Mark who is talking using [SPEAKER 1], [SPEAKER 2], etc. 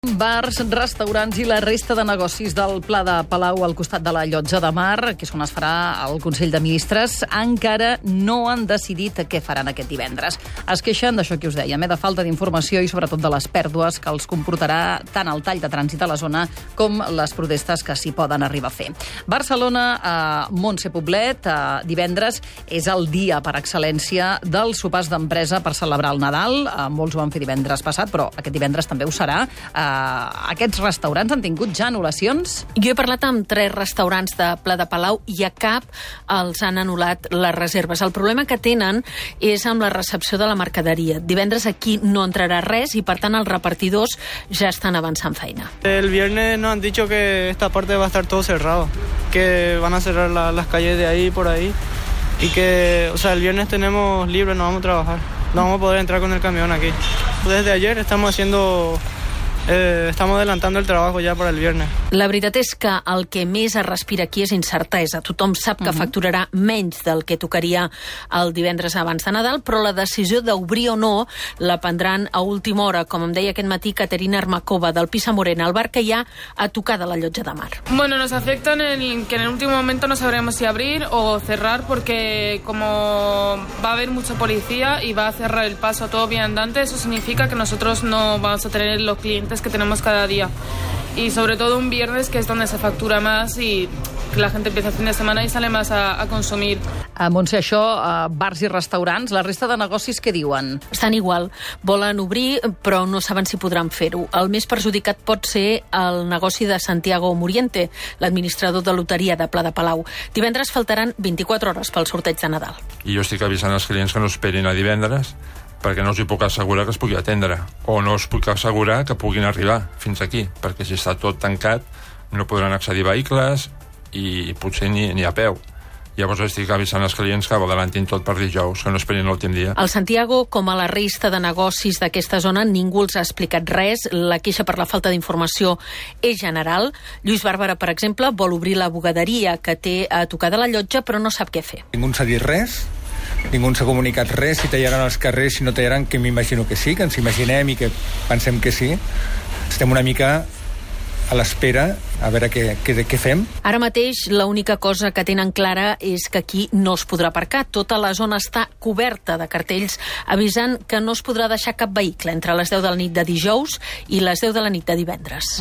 [SPEAKER 1] Bars, restaurants i la resta de negocis del Pla de Palau al costat de la Llotja de Mar, que és on es farà el Consell de Ministres, encara no han decidit què faran aquest divendres. Es queixen d'això que us dèiem, de falta d'informació i sobretot de les pèrdues que els comportarà tant el tall de trànsit a la zona com les protestes que s'hi poden arribar a fer. Barcelona, Montse Poblet, divendres és el dia per excel·lència dels sopars d'empresa per celebrar el Nadal. Molts ho van fer divendres passat, però aquest divendres també ho serà. Aquests restaurants han tingut ja anul·lacions?
[SPEAKER 2] Jo he parlat amb 3 restaurants de Pla de Palau i a cap els han anul·lat les reserves. El problema que tenen és amb la recepció de la mercaderia. Divendres aquí no entrarà res i, per tant, els repartidors ja estan avançant feina.
[SPEAKER 3] El viernes nos han dicho que esta parte va a estar todo cerrado, que van a cerrar las calles de ahí por ahí y que, el viernes tenemos libre, no vamos a trabajar. No vamos a poder entrar con el camión aquí. Desde ayer estamos adelantando el trabajo ya para el viernes.
[SPEAKER 2] La veritat és que el que més es respira aquí és incertesa. Tothom sap que facturarà menys del que tocaria el divendres abans de Nadal, però la decisió d'obrir o no la prendran a última hora, com em deia aquest matí Caterina Armakova, del Pisa Morena, el bar que hi ha a tocar de la Llotja de Mar.
[SPEAKER 4] Bueno, nos afecta que en el último momento no sabremos si abrir o cerrar, porque como va a haber mucha policía y va a cerrar el paso a todo viandante, eso significa que nosotros no vamos a tener los clientes que tenemos cada día, y sobre todo un viernes, que es donde se factura más y que la gente empieza el fin de semana y sale más a consumir.
[SPEAKER 1] Montse, això, bars i restaurants, la resta de negocis què diuen?
[SPEAKER 2] Estan igual, volen obrir però no saben si podran fer-ho. El més perjudicat pot ser el negoci de Santiago Muriente, l'administrador de loteria de Pla de Palau. Divendres faltaran 24 hores pel sorteig de Nadal.
[SPEAKER 5] I jo estic avisant els clients que no esperin a divendres, perquè no us hi puc assegurar que es pugui atendre, o no us puc assegurar que puguin arribar fins aquí, perquè si està tot tancat no podran accedir vehicles i potser ni a peu. Llavors estic avisant els clients que ho adelantin tot per dijous, que no esperin l'últim dia.
[SPEAKER 2] Al Santiago, com a la resta de negocis d'aquesta zona, ningú els ha explicat res. La queixa per la falta d'informació és general. Lluís Bàrbara, per exemple, vol obrir la bugaderia que té a tocar de la Llotja, però no sap què fer.
[SPEAKER 6] Ningú ens ha dit res, ningú ens ha comunicat res, si tallaran els carrers, si no tallaran, que m'imagino que sí, que ens imaginem i que pensem que sí. Estem una mica a l'espera a veure què fem.
[SPEAKER 2] Ara mateix l'única cosa que tenen clara és que aquí no es podrà aparcar. Tota la zona està coberta de cartells avisant que no es podrà deixar cap vehicle entre les 10 de la nit de dijous i les 10 de la nit de divendres.